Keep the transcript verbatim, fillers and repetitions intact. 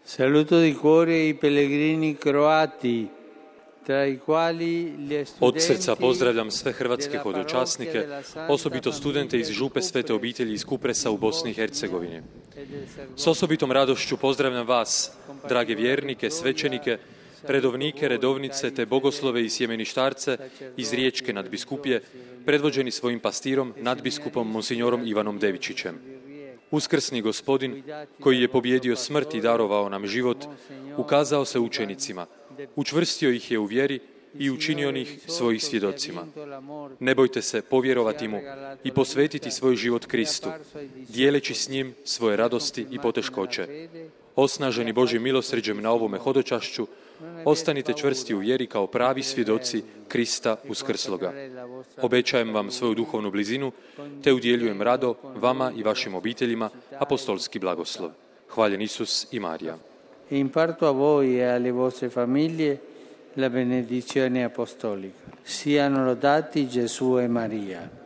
Saluto di cuore i pellegrini croati, tra i quali gli Od srca studenti pozdravljam sve hrvatske hodočasnike, osobito studente iz župe Svete obitelji iz Kupresa u Bosni i Hercegovini. S osobitom radošću pozdravljam vas, drage vjernike, svećenike, redovnike, redovnice te bogoslove i sjemeništarce iz Riječke nadbiskupije, predvođeni svojim pastirom, nadbiskupom monsignorom Ivanom Devičićem. Uskrsni Gospodin, koji je pobjedio smrt i darovao nam život, ukazao se učenicima, učvrstio ih je u vjeri i učinio ih svojih svjedocima. Ne bojte se povjerovati mu i posvetiti svoj život Kristu, dijeleći s njim svoje radosti i poteškoće. Osnaženi Božjim milosrđem na ovome hodočašću, ostanite čvrsti u vjeri kao pravi svjedoci Krista uskrsloga. Obećajem vam svoju duhovnu blizinu, te udjeljujem rado vama i vašim obiteljima apostolski blagoslov. Hvaljen Isus i Marija. Imparto a voi e alle vostre famiglie la benedizione apostolica. Siano lodati Gesù e Maria.